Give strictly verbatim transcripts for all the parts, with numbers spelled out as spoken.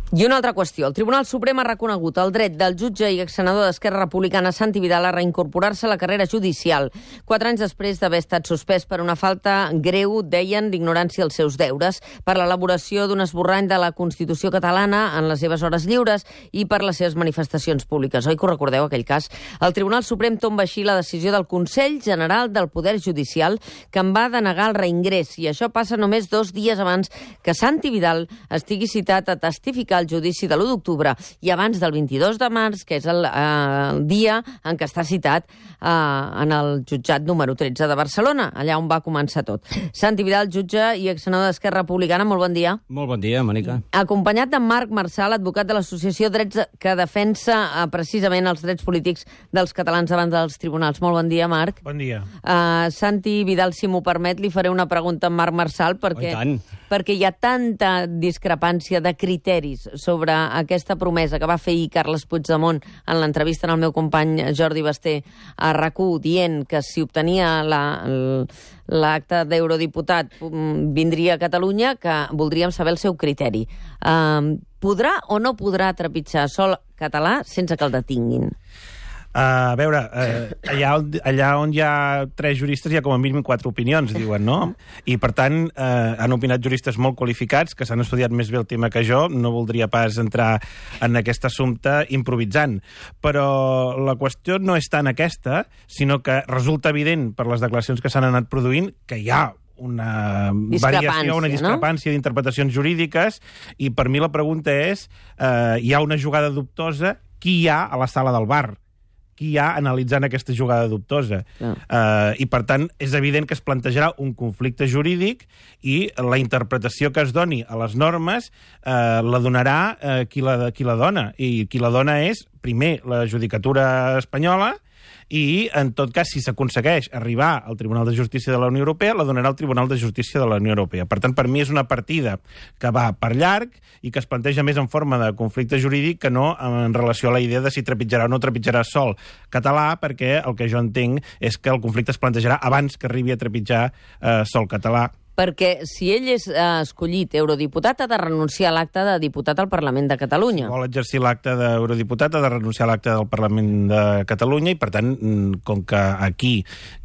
I una altra qüestió. El Tribunal Suprem ha reconegut el dret del jutge i exsenador d'Esquerra Republicana Santi Vidal a reincorporar-se a la carrera judicial, quatre anys després d'haver estat suspès per una falta greu, deien, d'ignorància als seus deures, per l'elaboració d'un esborrany de la Constitució catalana en les seves hores lliures i per les seves manifestacions públiques. Oi que ho recordeu, aquell cas? El Tribunal Suprem tomba així la decisió del Consell General del Poder Judicial, que en va denegar el reingrés, i això passa només dos dies abans que Santi Vidal estigui citat a testificar al judici de l'u d'octubre i abans del vint-i-dos de març, que és el, eh, el dia en què està citat eh, en el jutjat número tretze de Barcelona, allà on va començar tot. Santi Vidal, jutge i exsenador d'Esquerra Republicana, molt bon dia. Molt bon dia, Mònica. Acompanyat de Marc Marçal, advocat de l'Associació Drets, que defensa eh, precisament els drets polítics dels catalans davant dels tribunals. Molt bon dia, Marc. Bon dia. Uh, Santi Vidal, si m'ho permet, li faré una pregunta a Marc Marçal, perquè, perquè hi ha tanta discrepància de criteris sobre aquesta promesa que va fer ahir Carles Puigdemont en l'entrevista en el meu company Jordi Basté a RAC1, dient que si obtenia l'acte d'eurodiputat vindria a Catalunya, que voldríem saber el seu criteri. Uh, podrà o no podrà trepitjar sol català sense que el detinguin? Uh, a veure, uh, allà, on, allà on hi ha tres juristes hi ha com a mínim quatre opinions, diuen, no? I, per tant, uh, han opinat juristes molt qualificats, que s'han estudiat més bé el tema que jo. No voldria pas entrar en aquest assumpte improvisant. Però la qüestió no és tant aquesta, sinó que resulta evident, per les declaracions que s'han anat produint, que hi ha una variació, una discrepància, no? D'interpretacions jurídiques, i per mi la pregunta és, uh, hi ha una jugada dubtosa, qui hi ha a la sala del bar? Qui hi ha analitzant aquesta jugada dubtosa? No. Uh, I, per tant, és evident que es plantejarà un conflicte jurídic i la interpretació que es doni a les normes uh, la donarà uh, qui, la, qui la dona. I qui la dona és, primer, la judicatura espanyola, i, en tot cas, si s'aconsegueix arribar al Tribunal de Justícia de la Unió Europea, la donarà el Tribunal de Justícia de la Unió Europea. Per tant, per mi és una partida que va per llarg i que es planteja més en forma de conflicte jurídic que no en relació a la idea de si trepitjarà o no trepitjarà sol català, perquè el que jo entenc és que el conflicte es plantejarà abans que arribi a trepitjar eh, sol català. Perquè si ell és eh, escollit eurodiputat, ha de renunciar a l'acte de diputat al Parlament de Catalunya. Si vol exercir l'acte d'eurodiputat, ha de renunciar a l'acte del Parlament de Catalunya, i, per tant, com que aquí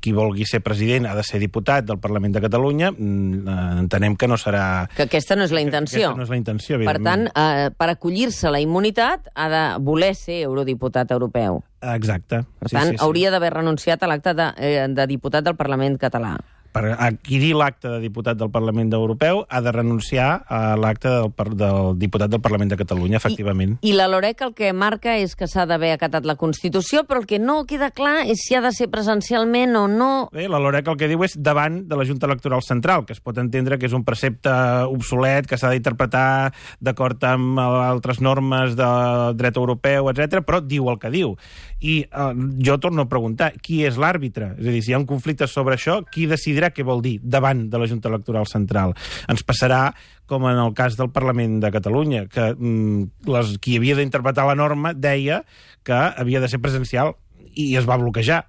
qui vulgui ser president ha de ser diputat del Parlament de Catalunya, entenem que no serà... Que aquesta no és la intenció. Aquesta no és la intenció, per tant, eh, per acollir-se a la immunitat, ha de voler ser eurodiputat europeu. Exacte. Per tant, sí, sí, sí. Hauria d'haver renunciat a l'acte de, eh, de diputat del Parlament català. Per adquirir l'acte de diputat del Parlament Europeu ha de renunciar a l'acte del, del diputat del Parlament de Catalunya, efectivament. I, i la LOREC el que marca és que s'ha d'haver acatat la Constitució, però el que no queda clar és si ha de ser presencialment o no. Bé, la LOREC el que diu és davant de la Junta Electoral Central, que es pot entendre que és un precepte obsolet, que s'ha d'interpretar d'acord amb altres normes del dret europeu, etcètera, però diu el que diu. I eh, jo torno a preguntar, qui és l'àrbitre? És a dir, si hi ha un conflicte sobre això, qui decidirà què vol dir davant de la Junta Electoral Central? Ens passarà com en el cas del Parlament de Catalunya, que mm, les, qui havia d'interpretar la norma deia que havia de ser presencial i es va bloquejar.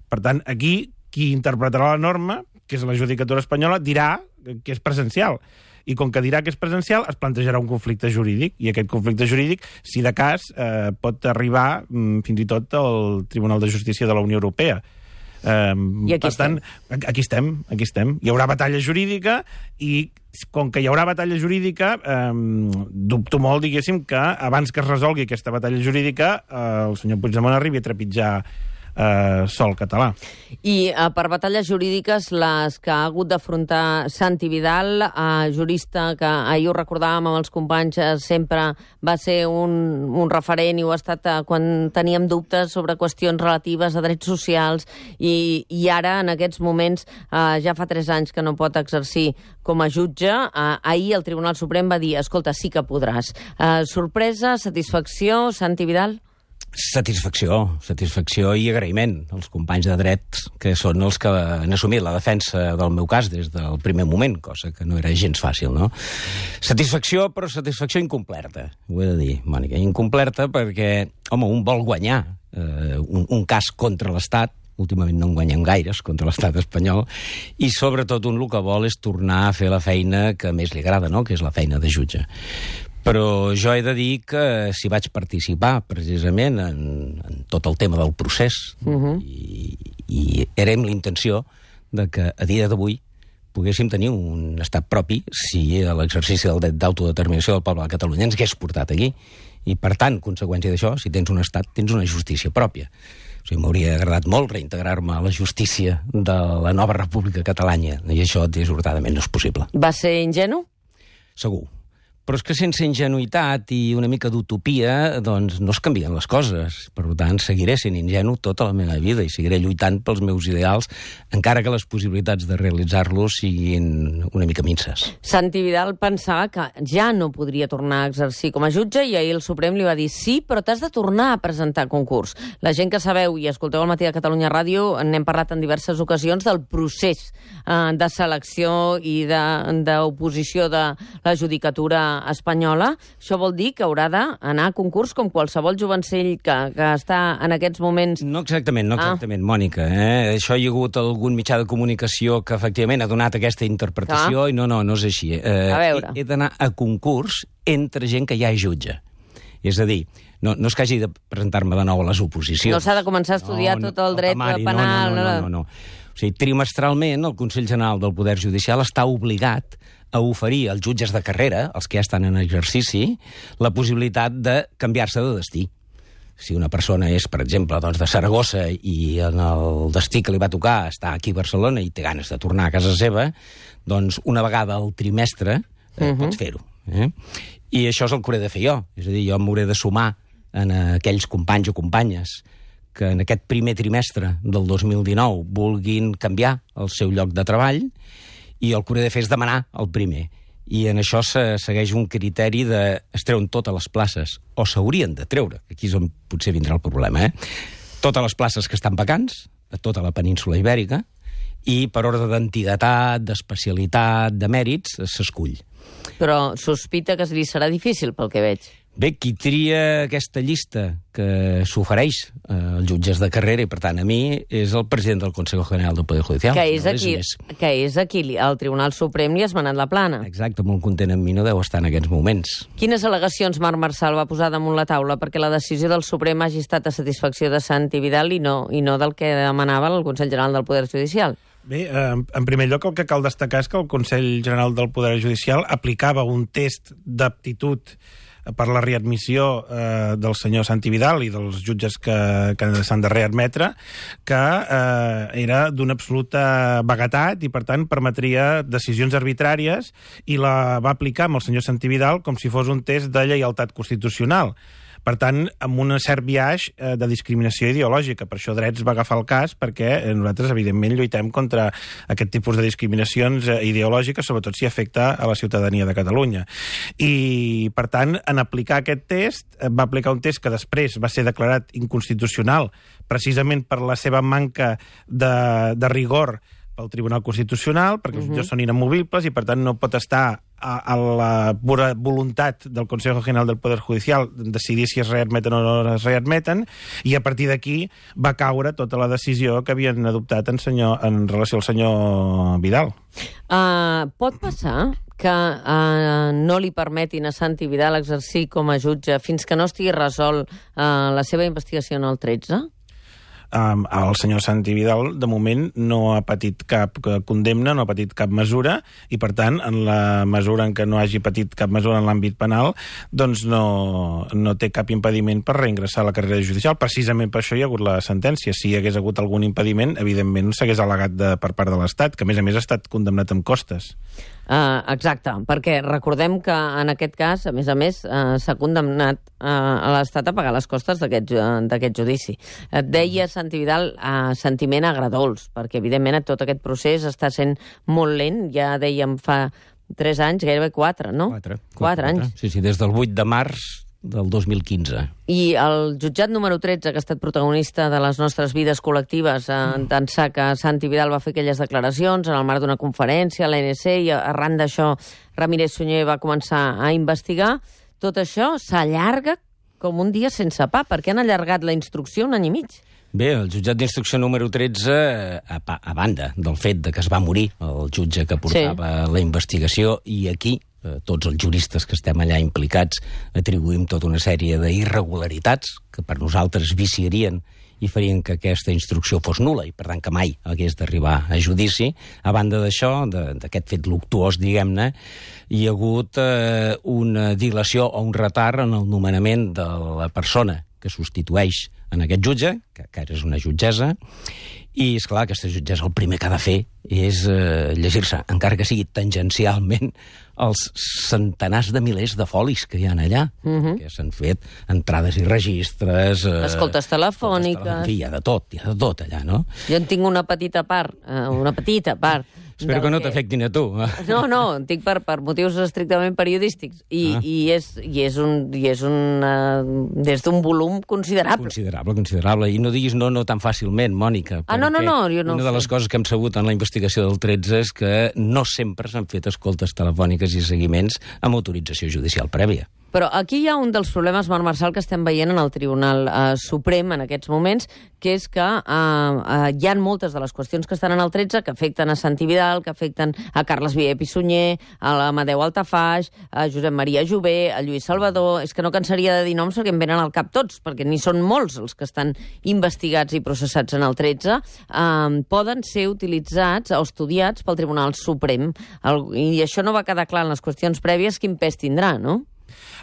Per tant, aquí, qui interpretarà la norma, que és la judicatura espanyola, dirà que és presencial. I com que dirà que és presencial, es plantejarà un conflicte jurídic, i aquest conflicte jurídic, si de cas, eh, pot arribar mm, fins i tot al Tribunal de Justícia de la Unió Europea. Um, I aquí per tant, estem. aquí estem, aquí estem. Hi haurà batalla jurídica i com que hi haurà batalla jurídica, um, dubto molt, diguéssim, que abans que es resolgui aquesta batalla jurídica uh, el senyor Puigdemont arribi a trepitjar Uh, sol català. I uh, per batalles jurídiques, les que ha hagut d'afrontar Santi Vidal, uh, jurista que ahir ho recordàvem amb els companys, uh, sempre va ser un, un referent i ho ha estat uh, quan teníem dubtes sobre qüestions relatives a drets socials, i, i ara, en aquests moments, uh, ja fa tres anys que no pot exercir com a jutge. Uh, ahir el Tribunal Suprem va dir, escolta, sí que podràs. Uh, sorpresa, satisfacció, Santi Vidal? Satisfacció, satisfacció i agraïment als companys de dret, que són els que han assumit la defensa del meu cas des del primer moment, cosa que no era gens fàcil, no? Satisfacció, però satisfacció incompleta, ho he de dir, Mònica. Incompleta perquè, home, un vol guanyar eh, un, un cas contra l'Estat, últimament no en guanyem gaires contra l'estat espanyol, i sobretot un el que vol és tornar a fer la feina que més li agrada, no?, que és la feina de jutge. Però jo he de dir que si vaig participar precisament en, en tot el tema del procés, uh-huh. i, i era amb la intenció de que a dia d'avui poguéssim tenir un estat propi si l'exercici del dret d'autodeterminació del poble de Catalunya ens hagués portat aquí. I, per tant, conseqüència d'això, si tens un estat, tens una justícia pròpia. O sigui, m'hauria agradat molt reintegrar-me a la justícia de la nova República Catalana, i això, dissortadament, no és possible. Va ser ingenu? Segur. Però és que sense ingenuïtat i una mica d'utopia, doncs no es canvien les coses. Per tant, seguiré sent ingenu tota la meva vida i seguiré lluitant pels meus ideals, encara que les possibilitats de realitzar-los siguin una mica minces. Santi Vidal pensava que ja no podria tornar a exercir com a jutge i ahir el Suprem li va dir sí, però t'has de tornar a presentar concurs. La gent que sabeu i escolteu al Matí de Catalunya Ràdio, n'hem parlat en diverses ocasions del procés eh, de selecció i d'oposició de, de la judicatura espanyola. Això vol dir que haurà d'anar a concurs com qualsevol jovencell que, que està en aquests moments... No exactament, no exactament, ah. Mònica. Eh? Això hi ha hagut algun mitjà de comunicació que efectivament ha donat aquesta interpretació ah. i no, no, no és així. Eh, a veure. He, he d'anar a concurs entre gent que ja és jutge. És a dir, no, no és que hagi de presentar-me de nou a les oposicions. No s'ha de començar a estudiar no, tot el dret temari, penal... No, no, no, no, no, no. O sigui, trimestralment el Consell General del Poder Judicial està obligat a oferir als jutges de carrera, els que ja estan en exercici, la possibilitat de canviar-se de destí. Si una persona és, per exemple, doncs, de Saragossa i en el destí que li va tocar està aquí a Barcelona i té ganes de tornar a casa seva, doncs una vegada al trimestre eh, uh-huh. pots fer-ho. Eh? I això és el que hauré de fer jo. És a dir, jo m'hauré de sumar en aquells companys o companyes que en aquest primer trimestre del dos mil dinou vulguin canviar el seu lloc de treball, i el que hauré de fer és demanar el primer. I en això se segueix un criteri de es treuen totes les places, o s'haurien de treure, que aquí és on potser vindrà el problema, eh? Totes les places que estan vacants, a tota la península ibèrica, i per ordre d'antiguitat, d'especialitat, de mèrits, s'escull. Però sospita que li serà difícil, pel que veig. Bé, qui tria aquesta llista que s'ofereix eh, als jutges de carrera, i per tant a mi, és el president del Consejo General del Poder Judicial. Que és, no aquí, és que és aquí, el Tribunal Suprem li ha esmenat la plana. Exacte, molt content amb mi no deu estar en aquests moments. Quines al·legacions Marc Marsal va posar damunt la taula perquè la decisió del Suprem hagi estat a satisfacció de Santi Vidal i no, i no del que demanava el Consell General del Poder Judicial? Bé, eh, en primer lloc el que cal destacar és que el Consell General del Poder Judicial aplicava un test d'aptitud per la readmissió eh, del senyor Santi Vidal i dels jutges que, que s'han de readmetre, que eh, era d'una absoluta vaguetat i, per tant, permetria decisions arbitràries, i la va aplicar amb el senyor Santi Vidal com si fos un test de lleialtat constitucional. Per tant, amb un cert biaix eh, de discriminació ideològica. Per això Drets va agafar el cas, perquè nosaltres, evidentment, lluitem contra aquest tipus de discriminacions eh, ideològiques, sobretot si afecta a la ciutadania de Catalunya. I, per tant, en aplicar aquest test, eh, va aplicar un test que després va ser declarat inconstitucional, precisament per la seva manca de, de rigor pel Tribunal Constitucional, perquè els jutges són inamovibles i, per tant, no pot estar a, a la pura voluntat del Consejo General del Poder Judicial decidir si es readmeten o no es readmeten, i a partir d'aquí va caure tota la decisió que havien adoptat en, senyor, en relació al senyor Vidal. Uh, pot passar que uh, no li permetin a Santi Vidal exercir com a jutge fins que no estigui resolt uh, la seva investigació en el tretze? Um, el senyor Santi Vidal, de moment, no ha patit cap condemna, no ha patit cap mesura, i, per tant, en la mesura en què no hagi patit cap mesura en l'àmbit penal, doncs no, no té cap impediment per reingressar a la carrera judicial. Precisament per això hi ha hagut la sentència. Si hi hagués hagut algun impediment, evidentment s'hagués al·legat de, per part de l'Estat, que, a més a més, ha estat condemnat amb costes. Uh, exacte, perquè recordem que en aquest cas, a més a més, uh, s'ha condemnat uh, a l'Estat a pagar les costes d'aquest uh, judici. Et deia Santi Vidal uh, sentiment agradols, perquè evidentment tot aquest procés està sent molt lent, ja dèiem fa tres anys, gairebé quatre, no? Quatre. Quatre, quatre anys. Sí, sí, des del vuit de març del dos mil quinze. I el jutjat número tretze, que ha estat protagonista de les nostres vides col·lectives, eh, d'ençà que Santi Vidal va fer aquelles declaracions en el marc d'una conferència a l'A N C, i arran d'això Ramírez Sunyer va començar a investigar, tot això s'allarga com un dia sense pa. Per què han allargat la instrucció un any i mig? Bé, el jutjat d'instrucció número tretze, a, a banda del fet de que es va morir el jutge que portava sí. la investigació, i aquí eh, tots els juristes que estem allà implicats atribuïm tota una sèrie d'irregularitats que per nosaltres viciarien i farien que aquesta instrucció fos nul·la i, per tant, que mai hagués d'arribar a judici. A banda d'això, d'aquest fet luctuós, diguem-ne, hi ha hagut eh, una dilació o un retard en el nomenament de la persona que substitueix en aquest jutge, que, que ara és una jutgessa, i, esclar, aquesta jutgessa el primer que ha de fer és eh, llegir-se, encara que sigui tangencialment, els centenars de milers de folis que hi ha allà, uh-huh. que s'han fet entrades i registres... Eh, escoltes telefòniques... Hi ha de tot, hi ha de tot allà, no? Jo en tinc una petita part, eh, una petita part... Espero que no t'afectin a tu. No, no, en tinc per, per motius estrictament periodístics. I, ah. i, és, i és un, i és un, uh, des d'un volum considerable. Considerable, considerable. I no diguis no, no tan fàcilment, Mònica. Ah, no, no, no, jo no una de les coses que hem sabut en la investigació del tretze és que no sempre s'han fet escoltes telefòniques i seguiments amb autorització judicial prèvia. Però aquí hi ha un dels problemes, Marc Marçal, que estem veient en el Tribunal eh, Suprem en aquests moments, que és que eh, eh, hi ha moltes de les qüestions que estan en el tretze que afecten a Santi Vidal, que afecten a Carles Vier Pissunyer, a l'Amadeu Altafaix, a Josep Maria Jové, a Lluís Salvador... És que no cansaria de dir noms perquè em venen al cap tots, perquè n'hi són molts els que estan investigats i processats en el tretze. Eh, poden ser utilitzats o estudiats pel Tribunal Suprem. El, I això no va quedar clar en les qüestions prèvies quin pes tindrà, no?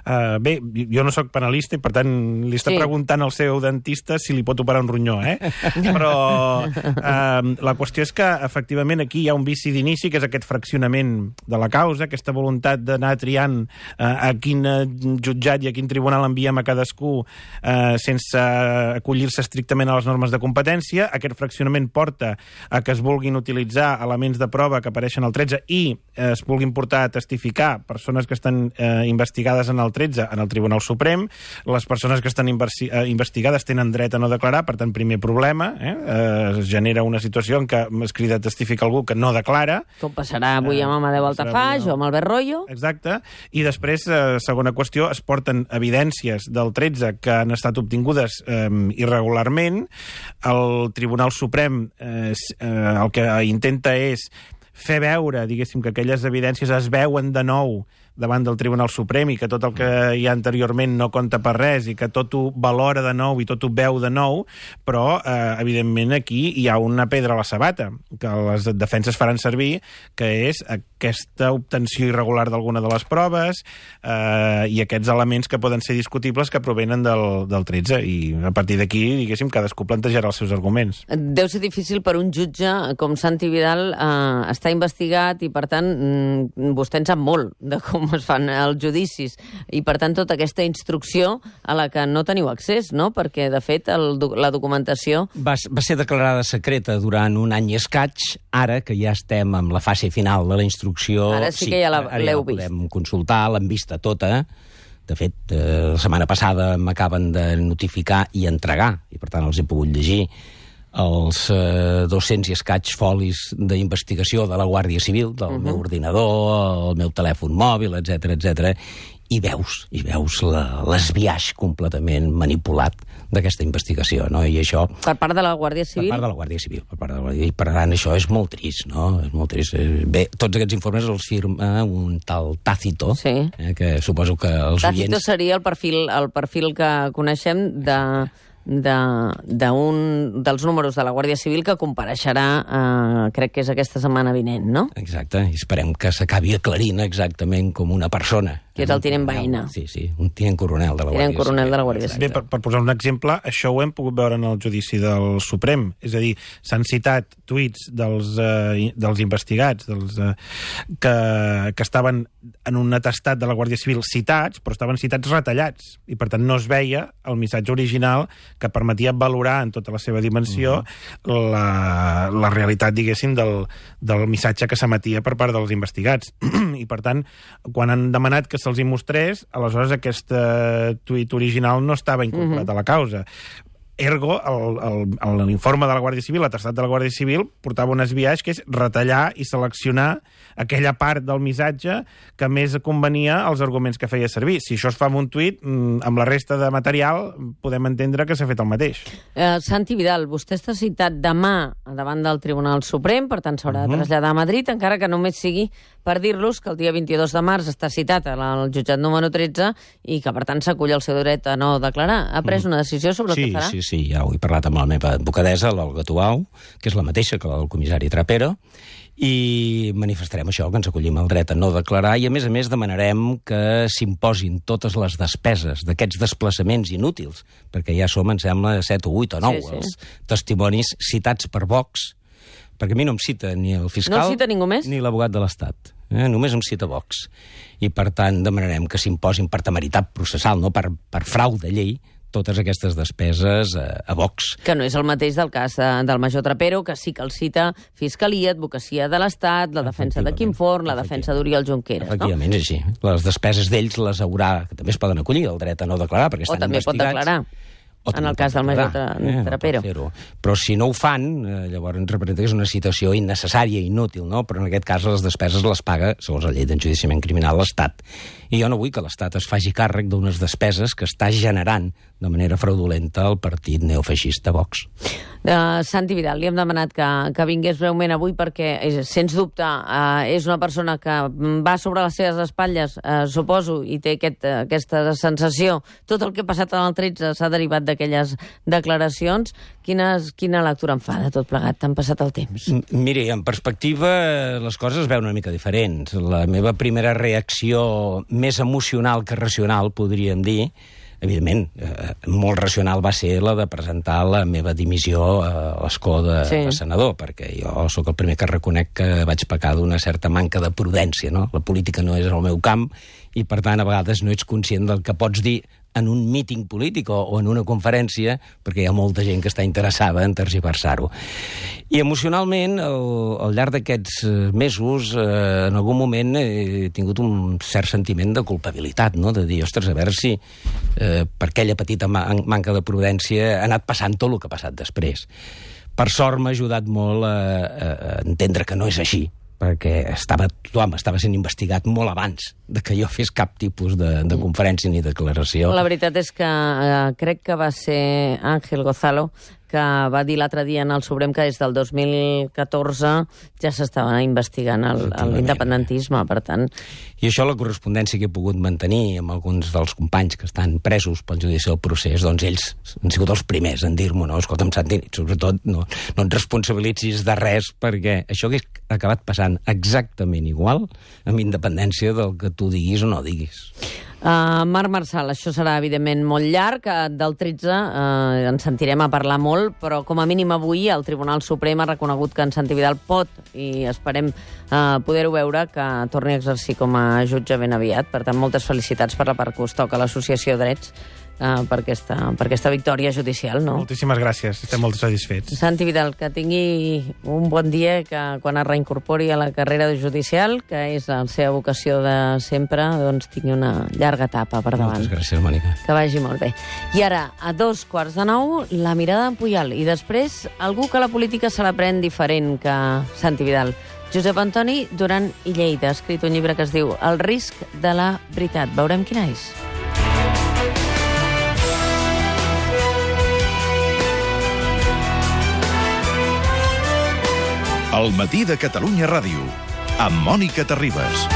Uh, bé, jo no sóc penalista i, per tant, li està sí. preguntant al seu dentista si li pot operar un ronyó, eh? Però uh, la qüestió és que, efectivament, aquí hi ha un vici d'inici, que és aquest fraccionament de la causa, aquesta voluntat d'anar triant uh, a quin jutjat i a quin tribunal enviem a cadascú uh, sense acollir-se estrictament a les normes de competència. Aquest fraccionament porta a que es vulguin utilitzar elements de prova que apareixen al tretze i uh, es vulguin portar a testificar persones que estan uh, investigades en el tretze en el Tribunal Suprem. Les persones que estan investigades tenen dret a no declarar, per tant, primer problema. Eh? Es genera una situació en què es crida a testificar algú que no declara. Com passarà avui amb Amadeu Altafaix o amb Albert Royo. Exacte. I després, eh, segona qüestió, es porten evidències del tretze que han estat obtingudes eh, irregularment. El Tribunal Suprem eh, el que intenta és fer veure, diguéssim, que aquelles evidències es veuen de nou davant del Tribunal Suprem i que tot el que hi ha anteriorment no compta per res i que tot ho valora de nou i tot ho veu de nou, però, eh, evidentment, aquí hi ha una pedra a la sabata que les defenses faran servir, que és aquesta obtenció irregular d'alguna de les proves eh, i aquests elements que poden ser discutibles que provenen del, del tretze. I a partir d'aquí, diguéssim, cadascú plantejarà els seus arguments. Deu ser difícil per un jutge com Santi Vidal eh, estar investigat i, per tant, vostè en sap molt de com es fan els judicis i, per tant, tota aquesta instrucció a la que no teniu accés, no? Perquè, de fet, el, la documentació... Va, va ser declarada secreta durant un any i escaig. Ara, que ja estem amb la fase final de la instrucció... Ara sí, sí que ja l'heu ja vist. Podem consultar, l'hem vista tota. De fet, eh, la setmana passada m'acaben de notificar i entregar, i, per tant, els he pogut llegir, els eh, dos-cents i escaig folis d'investigació de la Guàrdia Civil, del uh-huh. meu ordinador, el meu telèfon mòbil, etcètera, etcètera, i veus, i veus l'esbiaix completament manipulat d'aquesta investigació, no? I això... Per part de la Guàrdia Civil? Per part de la Guàrdia Civil, per part de la Guàrdia Civil. Per tant, això és molt trist, no? És molt trist. Bé, tots aquests informes els firma un tal Tácito, sí. eh, que suposo que els Tácito oients... seria el perfil, el perfil que coneixem de... d'un de, dels números de la Guàrdia Civil que compareixerà, eh, crec que és aquesta setmana vinent, no? Exacte, i esperem que s'acabi aclarint exactament com una persona. Que és el tinent Baena. Sí, sí, un tinent coronel de la tinent Guàrdia coronel Civil. de la Guàrdia Civil. Bé, per, per posar un exemple, això ho hem pogut veure en el judici del Suprem. És a dir, s'han citat tuits dels, eh, dels investigats dels, eh, que, que estaven en un atestat de la Guàrdia Civil citats, però estaven citats retallats. I, per tant, no es veia el missatge original que permetia valorar en tota la seva dimensió uh-huh. la, la realitat, diguéssim, del, del missatge que s'emetia per part dels investigats. I, per tant, quan han demanat que se'ls hi mostrés, aleshores aquest uh, tuit original no estava incorporat uh-huh. a la causa. Ergo, l'informe de la Guàrdia Civil, l'atestat de la Guàrdia Civil, portava un esbiaix que és retallar i seleccionar aquella part del missatge que més convenia als arguments que feia servir. Si això es fa amb un tuit, amb la resta de material, podem entendre que s'ha fet el mateix. Eh, Santi Vidal, vostè està citat demà davant del Tribunal Suprem, per tant s'haurà uh-huh. de traslladar a Madrid, encara que només sigui per dir-los que el dia vint-i-dos de març està citat al jutjat número tretze i que, per tant, s'acull el seu dret a no declarar. Ha pres una decisió sobre sí, el que farà? Sí, sí, sí, ja ho he parlat amb la meva advocadessa, l'Olga Tuau, que és la mateixa que la del comissari Trapero, i manifestarem això, que ens acollim el dret a no declarar, i a més a més demanarem que s'imposin totes les despeses d'aquests desplaçaments inútils, perquè ja som, em sembla, set o vuit o nou, sí, sí. els testimonis citats per Vox, perquè a mi no em cita ni el fiscal no cita ningú més? Ni l'abogat de l'Estat. Eh? Només em cita Vox. I, per tant, demanarem que s'imposin per temeritat processal, no per, per frau de llei, totes aquestes despeses a, a Vox. Que no és el mateix del cas de, del major Trapero, que sí que el cita Fiscalia, Advocacia de l'Estat, la defensa de Quim Forn, la defensa d'Oriol Junqueras, no? Efectivament, és així. Les despeses d'ells les haurà, que també es poden acollir, el dret a no declarar, perquè estan investigats. O també pot declarar. En el cas del major Trapero. Eh, Però si no ho fan, eh, llavors ens representa que és una situació innecessària i inútil, no? Però en aquest cas les despeses les paga, segons la llei d'enjudiciament criminal, l'Estat. I jo no vull que l'Estat es faci càrrec d'unes despeses que està generant de manera fraudulenta el partit neofeixista Vox. Uh, Santi Vidal, li hem demanat que, que vingués breument avui perquè, és, sens dubte, uh, és una persona que va sobre les seves espatlles, uh, suposo, i té aquest, uh, aquesta sensació. Tot el que ha passat en el tretze s'ha derivat d'aquelles declaracions. Quines, quina lectura en fa de tot plegat? T'han passat el temps. Miri, en perspectiva les coses es veuen una mica diferents. La meva primera reacció més emocional que racional, podríem dir, evidentment, eh, molt racional va ser la de presentar la meva dimissió a l'escó de, sí. de senador, perquè jo sóc el primer que reconec que vaig pecar d'una certa manca de prudència, no? La política no és el meu camp i, per tant, a vegades no ets conscient del que pots dir en un míting polític o, o en una conferència, perquè hi ha molta gent que està interessada en tergiversar-ho. I emocionalment, al, al llarg d'aquests mesos, eh, en algun moment he tingut un cert sentiment de culpabilitat, no? De dir, ostres, a veure si eh, per aquella petita man manca de prudència ha anat passant tot el que ha passat després. Per sort m'ha ajudat molt a, a entendre que no és així, perquè estava, tothom estava sent investigat molt abans de que jo fes cap tipus de, de conferència ni declaració. La veritat és que eh, crec que va ser Ángel Gozalo que va dir l'altre dia en el Suprem que des del dos mil catorze ja s'estava investigant l'independentisme, per tant. I això, la correspondència que he pogut mantenir amb alguns dels companys que estan presos pel judici del procés, doncs ells han sigut els primers en dir-m'ho, no, escolta'm, Santi, sobretot no, no et responsabilitzis de res, perquè això que ha acabat passant exactament igual, amb independència del que tu diguis o no diguis. Uh, Marc Marsal, això serà evidentment molt llarg, del tretze uh, ens sentirem a parlar molt, però com a mínim avui el Tribunal Suprem ha reconegut que en Santi Vidal pot, i esperem uh, poder-ho veure, que torni a exercir com a jutge ben aviat. Per tant, moltes felicitats per la part que us toca a l'Associació Drets uh, per, aquesta, per aquesta victòria judicial, no? Moltíssimes gràcies, estem molt satisfets. Santi Vidal, que tingui un bon dia, que quan es reincorpori a la carrera judicial, que és la seva vocació de sempre, doncs tingui una llarga etapa per davant. Moltes gràcies, Mònica. Que vagi molt bé. I ara, a dos quarts de nou, la mirada d'en Pujal, i després algú que la política se la pren diferent que Santi Vidal. Josep Antoni Duran i Lleida ha escrit un llibre que es diu El risc de la veritat. Veurem quina és. El matí de Catalunya Ràdio, amb Mònica Terribas.